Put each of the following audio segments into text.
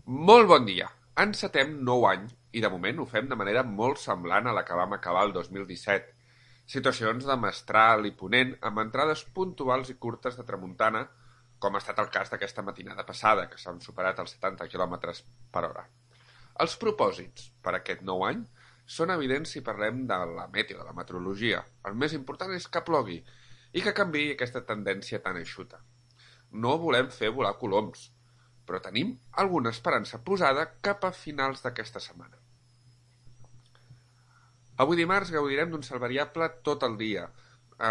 Molt bon dia! Encetem nou any i de moment ho fem de manera molt semblant a la que vam acabar el 2017. Situacions de mestral i ponent amb entrades puntuals i curtes de tramuntana, com ha estat el cas d'aquesta matinada passada, que s'han superat els 70 km per hora. Els propòsits per aquest nou any són evidents si parlem de la meteo, de la meteorologia. El més important és que plogui i que canviï aquesta tendència tan eixuta. No volem fer volar coloms, però tenim alguna esperança posada cap a finals d'aquesta setmana. Avui dimarts gaudirem d'un cel variable tot el dia.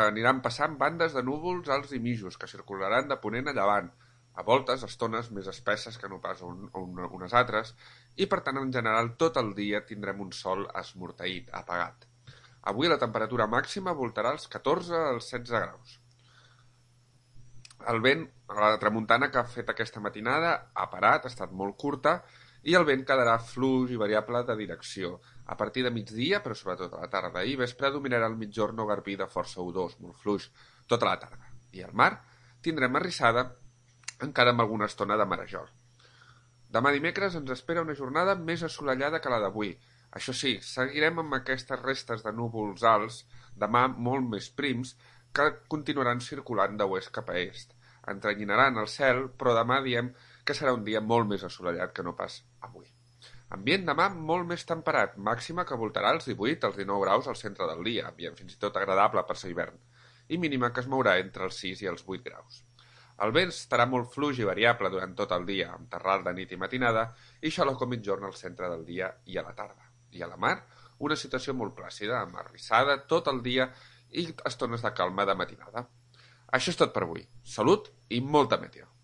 Aniran passant bandes de núvols alts i mitjos que circularan de ponent a llevant, a voltes estones més espesses que no pas unes altres, i per tant en general tot el dia tindrem un sol esmorteït, apagat. Avui la temperatura màxima voltarà als 14 als 16 graus. El vent, la tramuntana que ha fet aquesta matinada ha parat, ha estat molt curta, i el vent quedarà fluix i variable de direcció. A partir de migdia, però sobretot a la tarda i vespre, dominarà el migjorn o garbí de força udós, molt fluix, tota la tarda. I al mar tindrem arrissada encara amb alguna estona de marejol. Demà dimecres ens espera una jornada més assolellada que la d'avui. Això sí, seguirem amb aquestes restes de núvols alts, demà molt més prims, que continuaran circulant d'oest cap a est. Entrenyinaran el cel, però demà diem que serà un dia molt més assolellat que no pas avui. Ambient demà molt més temperat, màxima que voltarà als 18 als 19 graus al centre del dia, ambient fins i tot agradable per ser hivern, i mínima que es mourà entre els 6 i els 8 graus. El vent estarà molt fluix i variable durant tot el dia, amb terral de nit i matinada, i xaloc o mitjorn al centre del dia i a la tarda. I a la mar, una situació molt plàcida, amb arrissada tot el dia i estones de calma de matinada. Això és tot per avui. Salut i molta meteo.